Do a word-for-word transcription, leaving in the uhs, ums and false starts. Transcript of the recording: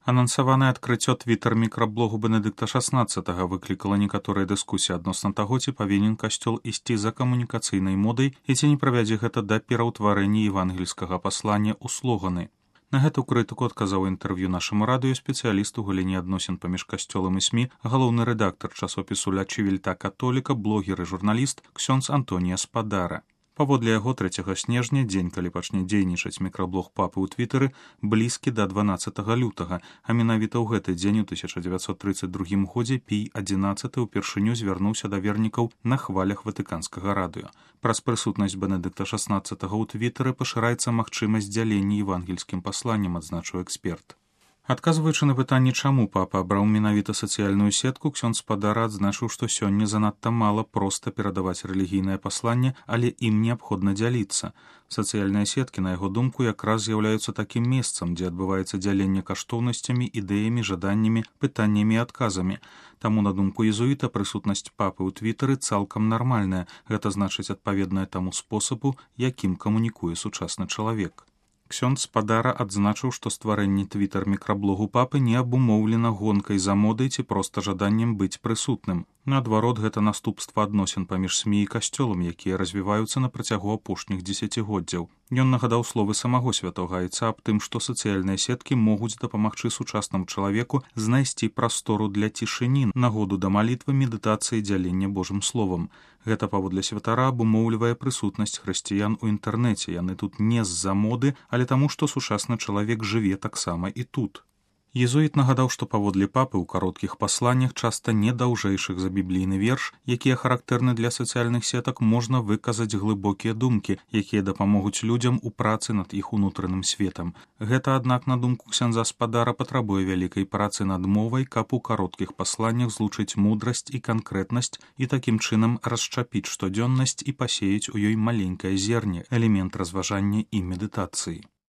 Анансаванае адкрыццё твітар-мікраблогу Бенедыкта шаснаццатага выклікала некаторыя дыскусіі адносна таго, ці павінен касцёл ісці за камунікацыйнай модай і ці не правядзе гэта да пераўтварэння евангельскага паслання ў слоганы. На гэту крытыку адказаў інтэрв'ю нашаму радыё спецыяліст у галіне адносін паміж касцёлам і СМІ, галоўны рэдактар часопісу «Ля Чивільта католіка», блогер і журналіст ксёндз Антонія Спадара. Паводле яго трэцяга снежня, дзень, калі пачне дзейнічаць мікраблог папы ў твітары, блізкі да дванаццатага лютага, а менавіта ў гэты дзень у тысяча дзевяцьсот трыццаць другім годзе Пій адзінаццаты ўпершыню звярнуўся да вернікаў на хвалях ватыканскага радыё. Праз прысутнасць Бенедыкта шаснаццатага ў твітары пашыраецца магчымасць дзялення евангельскім пасланнем, адзначыў эксперт. Адказваючы на пытанне, чаму папа абраў менавіта сацыяльную сетку, ксёндз Спадара адзначыў, што сёння занадта мала проста перадаваць рэлігійнае пасланне, але ім неабходна дзяліцца. Сацыяльныя сеткі, на яго думку, якраз з'яўляюцца такім месцам, дзе адбываецца дзяленне каштоўнасцямі, ідэямі, жаданнямі, пытаннямі і адказамі. Таму, на думку езуіта, прысутнасць папы ў твітары цалкам нармальная, гэта значыць адпаведная таму спосабу, якім камунікуе сучасны чалавек. Ксёндз Спадара адзначыў, што стварэнне твітар-мікраблогу папы не абумоўлена гонкай за модай ці проста жаданнем быць прысутным. Наадварот, гэта наступства адносін паміж СМІ і касцёлам, якія развіваюцца на працягу апошніх дзесяцігоддзяў. Ён нагадаў словы самого святога айца аб тым, што сацыяльныя сеткі могуць дапамагчы сучаснаму чалавеку знайсці прастору для цішыні, нагоду да малітвы, медытацыі, дзялення Божым словам. Гэта, паводле святара, абумоўлівае прысутнасць хрысціян у інтэрнэце. Яны тут не з-за моды, але таму, што сучасны чалавек жыве таксама і тут. Езуіт нагадаў, што паводле папы ў кароткіх пасланнях, часта не даўжэйшых за біблійны верш, якія характэрны для сацыяльных сетак, можна выказаць глыбокія думкі, якія дапамогуць людзям у працы над іх унутраным светам. Гэта, аднак, на думку ксяндза Спадара, патрабуе вялікай працы над мовай, каб у кароткіх пасланнях злучыць мудрасць і канкрэтнасць і такім чынам расчапіць штодзённасць і пасеяць у ёй маленькае зерне, элемент разважання і медытацыі.